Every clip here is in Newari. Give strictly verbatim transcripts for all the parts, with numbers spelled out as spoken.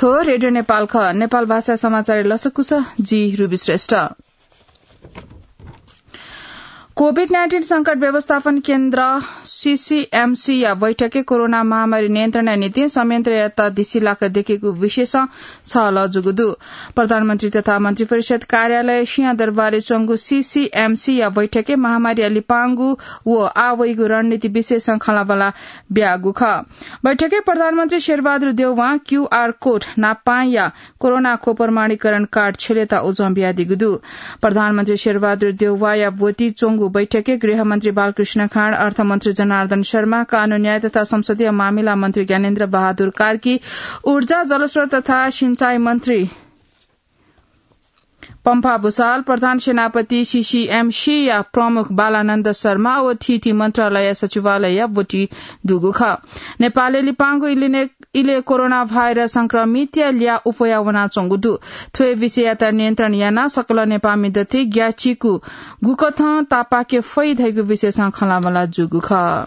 हो, रेडियो नेपाल खः। नेपाल भाषा समाचार लसकुस, जि रुबी श्रेष्ठ। कोभिड नाइन्टिन संकट व्यवस्थापन केन्द्र, सीसीएमसी या बैठकय् कोरोना महामारी नियन्त्रणया निंतिं संयन्त्रयात दिसी लाक दयेकेगु विषयसं छलह जूगु दु। प्रधानमन्त्री तथा मन्त्रिपरिषद कार्यालय सिंहदरबारय् च्वंगु सीसीएमसी या बैठकय् महामारीया लिपांगु व आः वइगु रणनीति विषयसं खँल्हाबल्हा ब्याःगु खः। बैठकय् प्रधानमन्त्री शेरबहादुर देउवां क्यूआर कोड नापांया कोरोना खोप प्रमाणीकरण कार्ड छ्यलेत उजं बियादीगु दु। प्रधानमन्त्री शेरबहादुर देउवाया ब्वति च्वंगु बैठकय् गृहमन्त्री बालकृष्ण खाँड, अर्थमन्त्री जनार्दन शर्मा, कानून न्याय तथा संसदीय मामिला मन्त्री ज्ञानेन्द्र बहादुर कार्की, ऊर्जा, जलस्रोत तथा सिंचाई मन्त्री पम्फा भूषाल, प्रधान सेनापति सीसीएमसी या प्रमुख बालानन्द शर्मा व थीथी मन्त्रालय सचिवालयया ब्वति दुगु खः। नेपालय् लिपांगु इलेने-, इले कोरोना भाइरस संक्रमितया ल्याः उफया वनाच्वंगु दु। थ्व विषययात नियन्त्रण यानाः सकल नेपाःमि दथुइ ग्याःचिकु गुकथं तापाके फइ धइगु विषयसं खँल्हाबल्हा जूगु खः।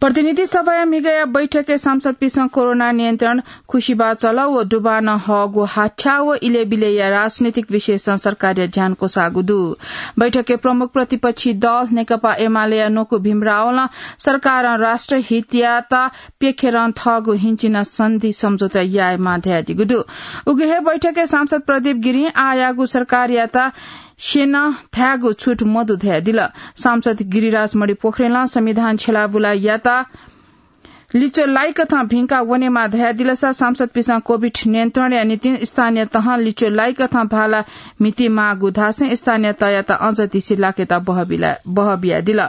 प्रतिनिधि सभाया म्हिगःया बैठकय् सांसदपिसं कोरोना नियन्त्रण, खुसिबा चल व दुबानं हःगु हाथ्या व इलेबिलेया राजनीतिक विषयसं सरकारया ध्यान क्वसाःगु दु। बैठकय् प्रमुख प्रतिपक्षी दल नेकपा एमालेया न्वकू भीम रावलं सरकारं राष्ट्रहितयात प्यखेरं थःगु हिंचिन सन्धि सम्झौता यायेमाः धयादीगु दु। उगु हे बैठकय् सांसद प्रदीप गिरिं आःयागु सरकारयात स्यन धायेगु छुट मदु धयादिल। सांसद गिरिराज मणि पोखरेलं संविधान छ्यलाबुलायात लिच्वलाइकथं भिंका वनेमाः धयादिलसा सांसदपिसं कोभिड नियन्त्रणया निंतिं स्थानीय तहं लिच्वलाइकथं भाला म्हितेमाःगु धासें स्थानीय तहयात अझ दिसे लाकेत बहबिला-, बहबियादिल।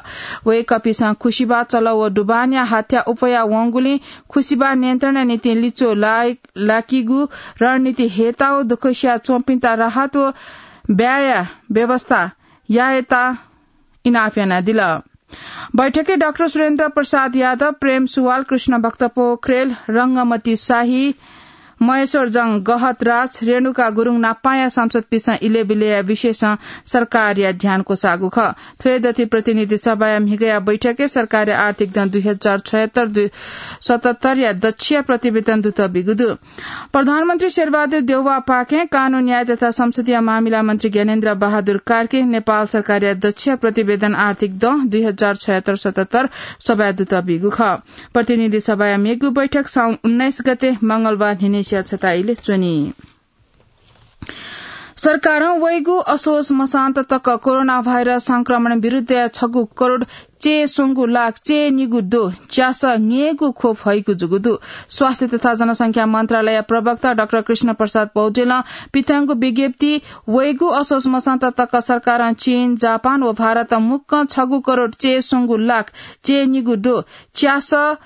वय्कःपिसं खुसिबा चल व दुबानया हाथ्या उफया वंगुलिं खुसिबा नियन्त्रणया निंतिं लिच्वलाइ-, लाकीगु रणनीति हयेत व दुःखसिया च्वंपिन्त राहत व ब्याया व्यवस्था यायेत इनाप यानादिल। बैठकय् डाक्टर सुरेन्द्र प्रसाद यादव, प्रेम सुवाल, कृष्ण भक्त पोखरेल, रंगमती शाही, महेश्वर जंग गहतराज, रेणुका गुरुङ नापांया सांसदपिसं इलेबिलेया विषयसं सरकारया ध्यान क्वसाःगु खः। थ्व दथुइ प्रतिनिधि सभाया म्हिगःया बैठकय् सरकारया आर्थिक दँ दुई हजार छयत्तर दुई सतहत्तर या दच्छिया प्रतिवेदन दुत बिगु दु। प्रधानमन्त्री शेरबहादुर देउवापाखें कानून न्याय तथा संसदीय मामिला मन्त्री ज्ञानेन्द्र बहादुर कार्की नेपाल सरकारया दच्छिया प्रतिवेदन आर्थिक दँ दुई हजार छयत्तर सतहत्तर सभाय् दुत बिगु खः। प्रतिनिधि सभाया मेगु बैठक साउन उन्नाइस गते मंगलबार न्हिनेसिया छता इले च्वनी। सरकारं वइगु असोज मसान्त तक कोरोना भाइरस संक्रमण विरुद्धया छगू करोड चय् स्वंगू लाख चय् निगू दो च्यासः न्यय्गू खोप हइगु जूगु दु। स्वास्थ्य तथा जनसंख्या मन्त्रालय प्रवक्ता डाक्टर कृष्ण प्रसाद पौडेलं पिथंगु विज्ञप्ति वइगु असोज मसान्त तक सरकारं चीन, जापान व भारत मुक्कं छगू करोड चय् स्वंगू लाख चय् निगू दो च्यासः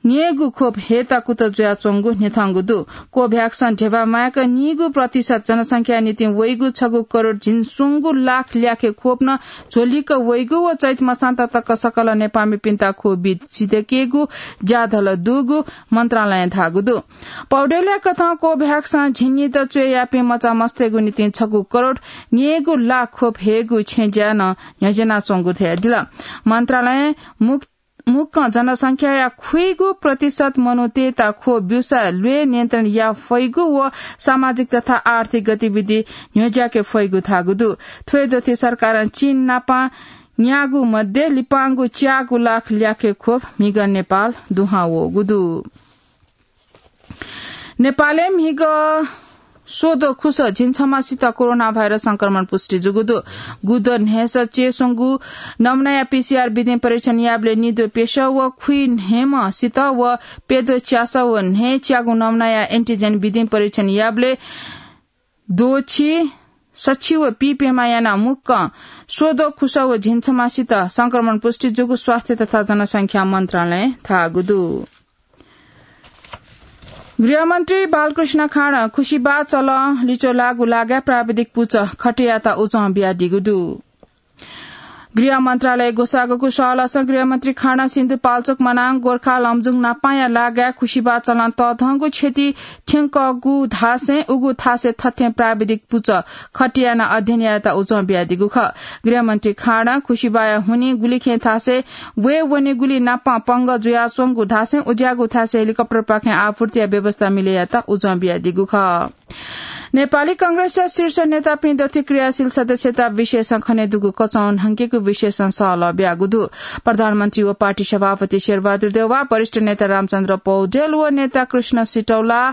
न्यय्गू खोप हयेत कुतः जुयाच्वंगु न्ह्यथंगु दु। कोभ्याक्सं ध्यबा माय्क नीगू प्रतिशत जनसंख्या निंतिं वइगु छगू करोड झिंस्वंगू लाख ल्याखे खोप नं झ्वलिक वइगु व चैत मसान्त तक सकल नेपाःमिपिन्त खोप बी सिधयेकेगु ज्याझ्वः दुगु मन्त्रालयं धाःगु दु। पौडेलया कथं कोभ्याक्सं झिंनिदँ च्वय् याःपिं मचामस्तय्गु निंतिं छगू करोड न्यय्गू लाख खोप हयेगु छेँज्या नं न्ह्यज्यानाच्वंगु धयादिल। मन्त्रालयं मुक्त मुक्कं जनसंख्याया खुइगू प्रतिशत मनूतय्त खोप ब्यूसा ल्वय् नियन्त्रण याये फइगु व सामाजिक तथा आर्थिक गतिविधि न्ह्यज्याके फइगु धाःगु दु। थ्व दथुइ सरकारं चीन नाप न्यागू मध्ये लिपांगु च्यागू लाख ल्याखे खोप म्हिगः नेपाल दुहां वःगु दु। नेपालय् म्हिगः स्वदँ खुसः झिंछम्हसित कोरोना भाइरस संक्रमण पुष्टि जूगु दु। गुदँ न्हय्सः चय् स्वंगू नमुनाया पीसीआर विधिं परीक्षण याःबलय् निद्वः प्यसः व खुइन्हय्म्हसित व प्यद्वः च्यासः व न्हय् च्यागू नमुनाया एन्टिजेन विधिं परीक्षण याःबलय् द्वःछि सछि व पीप्यम्ह यानाः मुक्कं स्वदँ खुसः व झिंछम्हसित संक्रमण पुष्टि जूगु स्वास्थ्य तथा जनसंख्या मन्त्रालयं धाःगु दु। गृहमन्त्री बालकृष्ण खाँडं खुसिबा चलं लिच्वः लाःगु लागाय् प्राविधिक पुचः खटियात उजं बियादीगु दु। गृह मन्त्रालय ग्वसाःगु सहलहसं गृहमन्त्री खाँडं सिन्धुपाल्चोक, मनाङ, गोर्खा, लमजुङ नापांया लागाय् खुसिबा चलं तःधंगु क्षति थ्यंकःगु धासें उगु थासय् थथें प्राविधिक पुचः खटियानाः अध्ययन यायेत उजं बियादीगु खः। गृहमन्त्री खाँडं खुसिबाया हुनिं गुलिखें थासय् वये वनेगुली नापां पंगः जुयाच्वंगु धासें उज्याःगु थासय् हेलिकप्टरपाखें आपूर्तिया व्यवस्था मिले यायेत उजं बियादीगु खः। नेपाली कांग्रेसया शीर्ष नेतापिं दथुइ क्रियाशील सदस्यता विषयसं खनेदुगु कचं न्हंकेगु विषयसं सहलह ब्यागु दु। प्रधानमन्त्री व पार्टी सभापति शेरबहादुर देउवा, वरिष्ठ नेता रामचन्द्र पौडेल व नेता कृष्ण सिटौला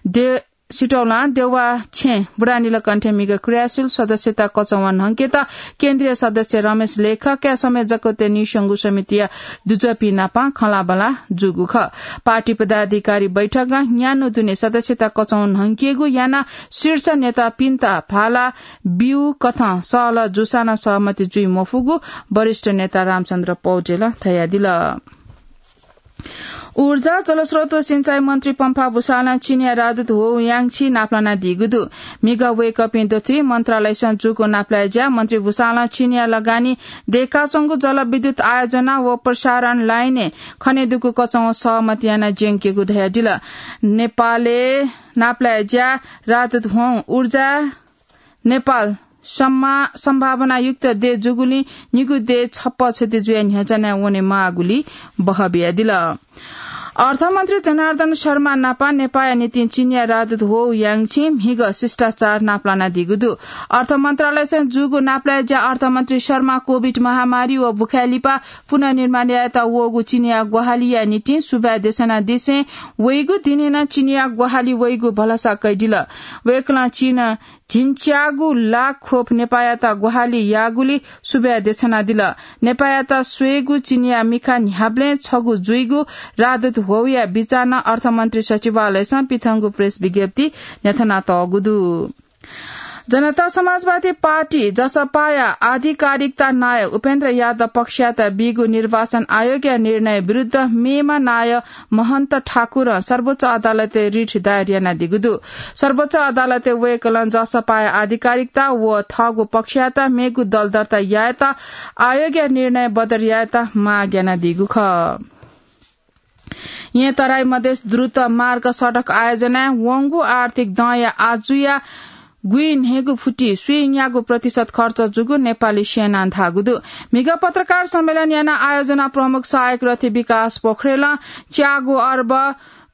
दे-, सिटौलां देउवा छेँ बुढानीलकण्ठय् म्हिगः क्रियाशील सदस्यता कचं न्हंकेत केन्द्रीय सदस्य रमेश लेखकया समेत जकतय् नीस्वंगू समितिया दुजःपिं नाप खँल्हाबल्हा जूगु खः। पार्टी पदाधिकारी बैठकं न्यान्हु दुने सदस्यता कचं न्हंकेगु यानाः शीर्ष नेतापिन्त भाला ब्यू कथं सहलह जूसां नं सहमति जुइ मफुगु वरिष्ठ नेता रामचन्द्र पौडेलं धयादिल। ऊर्जा, जलस्रोत व सिँचाइ मन्त्री पम्फा भुसालं चीनया राजदूत हो याङछी नापलानादीगु दु। म्हिगः वय्कःपिं दथुइ मन्त्रालयसं जूगु नापलाये ज्या मन्त्री भुसालं चीनया लगानी दय्काच्वंगु जलविद्युत आयोजना व प्रसारण लाइनय् खनेदुगु कचं सहमति यानाः ज्यंकेगु धयादिल। नेपालय् नापलाये ज्या राजदूत हों ऊर्जा नेपाल सम्मा-, सम्भावनायुक्त देश जूगुलिं निगू देश छप्पँ छति जुयाः न्ह्यचना वनेमाःगुली बहः बियादिल। अर्थमन्त्री जनार्दन शर्मा नापं नेपाःया निंतिं चीनया राजदूत हो याङछी म्हिगः शिष्टाचार नापलानादीगु दु। अर्थ मन्त्रालयसं जूगु नापलाये ज्या अर्थमन्त्री शर्मा कोभिड महामारी व बुखाय् लिपा पुनर्निर्माण यायेत वःगु चीनया ग्वाहालिया निंतिं सुभाय् देछानादिसें वइगु दिनय् नं चीनया ग्वाहालि वइगु भलसा कयादिल। वय्कलं चीनं झिंच्यागू लाख खोप नेपाःयात ग्वाहालि याःगुली सुभाय् देछानादिल। नेपाःयात स्वयेगु चीनया मिखा न्ह्याबलें छगू जुइगु राजदूत होया बिचाः नं अर्थमन्त्री सचिवालयसं पिथंगु प्रेस विज्ञप्ति न्ह्याथनातःगु दु। जनता समाजवादी पार्टी, जसपाया आधिकारिकता नायः उपेन्द्र यादव पक्षयात बीगु निर्वाचन आयोगया निर्णय विरुद्ध मेमा नायः महन्त ठाकुरं सर्वोच्च अदालतय् रिट दायर यानादीगु दु। सर्वोच्च अदालतय् वय्कलं जसपाया आधिकारिकता व थःगु पक्षयात मेगु दल दर्ता यायेत आयोगया निर्णय बदर यायेत माग यानादीगु खः। येँ तराई मधेस द्रुत मार्ग सडक आयोजनाय् वंगु आर्थिक दँया आजुया गुइन्हय्गू फुति स्वीन्यागू प्रतिशत खर्च जूगु नेपाली सेनां धाःगु दु। म्हिगः पत्रकार सम्मेलन यानाः आयोजना प्रमुख सहायक रथी विकास पोखरेलं च्यागू अर्ब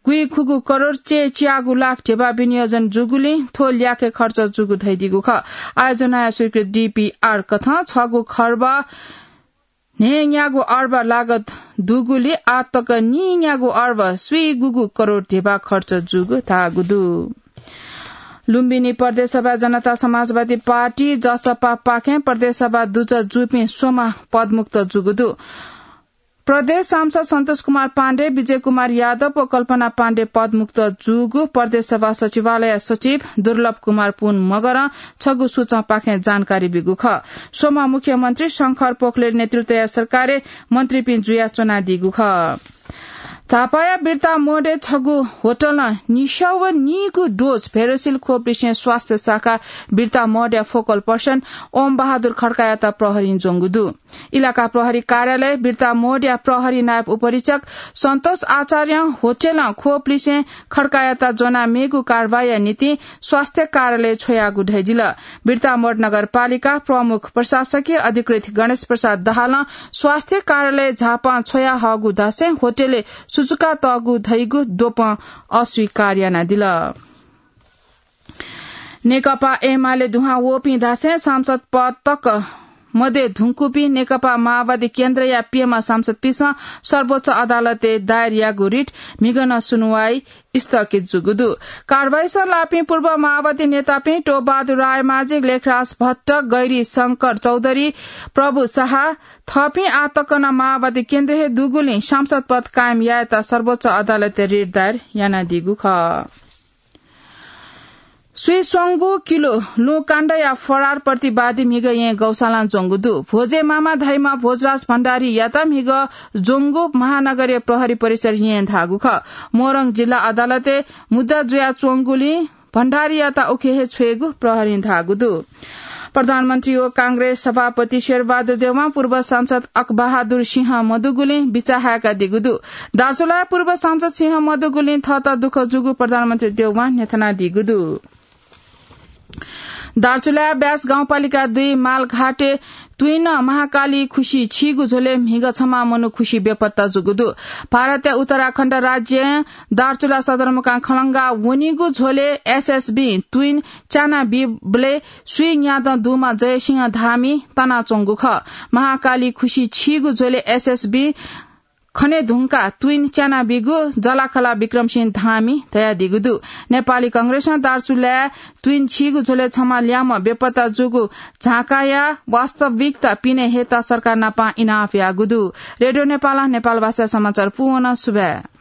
गुइखुगू करोड चे च्यागू लाख ध्यबा विनियोजन जूगुलिं थ्व ल्याखय् खर्च जूगु धयादीगु खः। आयोजनाया स्वीकृत डिपिआर कथं छगू खर्ब न्हय्न्यागू अर्ब लागत दुगुली आः तक नीन्यागू अर्ब स्वीगुगू करोड ध्यबा खर्च जूगु धाःगु दु। लुम्बिनी प्रदेश सभा जनता समाजवादी पार्टी, जसपापाखें प्रदेश सभा दुजः जूपिं स्वम्ह पदमुक्त जूगु दु। प्रदेश सांसद सन्तोष कुमार पाण्डे, विजय कुमार यादव व कल्पना पाण्डे पदमुक्त जूगु प्रदेश सभा सचिवालय सचिव दुर्लभ कुमार पुन मगरं छगू सूचंपाखें जानकारी बीगु खः। स्वम्ह मुख्यमन्त्री शंकर पोखरेल नेतृत्वया सरकारय् मन्त्रीपिं जुयाच्वनादीगु खः। झापाया बिर्ता मोडय् छगू होटलं निस्यागू डोज भेरोसिल खोप लिसें स्वास्थ्य शाखा बिर्ता मोडया फोकल पर्सन ओम बहादुर खड्कायात प्रहरीं ज्वंगु दु। इलाका प्रहरी कार्यालय बिर्ता मोडया प्रहरी नायब उपरीक्षक सन्तोष आचार्यं होटलं खोप लिसें खड्कायात ज्वनाः मेगु कारवाहीया निंतिं स्वास्थ्य कार्यालय छ्वयागु धयादिल। बिर्ता मोड नगरपालिका प्रमुख प्रशासकीय अधिकृत गणेश प्रसाद दाहालं स्वास्थ्य कार्यालय झापां छ्वयाहःगु धासें होटलय् सुचुकातःगु धइगु द्वपं अस्वीकार यानादिल। नेकपा एमाले दुहां वःपिं धासें सांसद पद तक मदये धुंकूपिं नेकपा माओवादी केन्द्रया प्यम्ह सांसदपिन्सं सर्वोच्च अदालतय् दायर याःगु रिट म्हिगः नं सुनुवाइ स्थगित जूगु दु। कारवाहीसं लाःपिं पूर्व माओवादी नेतापिं टोपबहादुर रायमाझी, लेखराज भट्ट, गैरी शंकर चौधरी, प्रभु शाह, थःपिं आः तक नं माओवादी केन्द्र हे दुगुलिं सांसद पद कायम यायेत सर्वोच्च अदालतय् रिट दायर यानादीगु खः। स्वीस्वंगू किलो लुँकाण्डया फरार प्रतिवादी म्हिगः येँ गौशालां ज्वंगु दु। भोजे मामा धाइम्ह भोजराज भण्डारीयात म्हिगः ज्वंगु महानगरीय प्रहरी परिसर येँ धाःगु खः। मोरङ जिल्ला अदालतय् मुद्दा जुयाच्वंगुलिं भण्डारीयात उखे हे छ्वयेगु प्रहरीं धाःगु दु। प्रधानमन्त्री व कांग्रेस सभापति शेरबहादुर देउवां पूर्व सांसद अकबहादुर सिंह मदुगुलिं बिचाः हाय्कादीगु दु। दार्चुलाया पूर्व सांसद सिंह मदुगुलिं थःत दुःख जूगु प्रधानमन्त्री देउवां न्ह्यथनादीगु दु। दार्चुलाया ब्यास गाउँपालिका दुई मालघाटे तुइन महाकाली खुसी छीगु झ्वलय् म्हिगः छम्ह मनू खुसी बेपत्ता जूगु दु। भारतया उत्तराखण्ड राज्यं दार्चुला सदरमुकाम खलंगा वनीगु झ्वलय् एसएसबी तुइन च्याना बीबलय् स्वीं न्यादँ दुम्ह जयसिंह धामी तनाच्वंगु खः। महाकाली खुसी छीगु झ्वलय् एसएसबी खने धुंकाः तुइन च्याना बीगु जलाखला विक्रमसिंह धामी धयादीगु दु। नेपाली कांग्रेसं दार्चुलाय् तुइन छीगु झ्वलय् छम्ह ल्याम्ह बेपत्ता जूगु झाँकाया वास्तविकता पिने हयेत सरकार नाप इनाप याःगु दु। रेडियो नेपालं नेपाल भाषा समाचार पूवन। सुभाय्।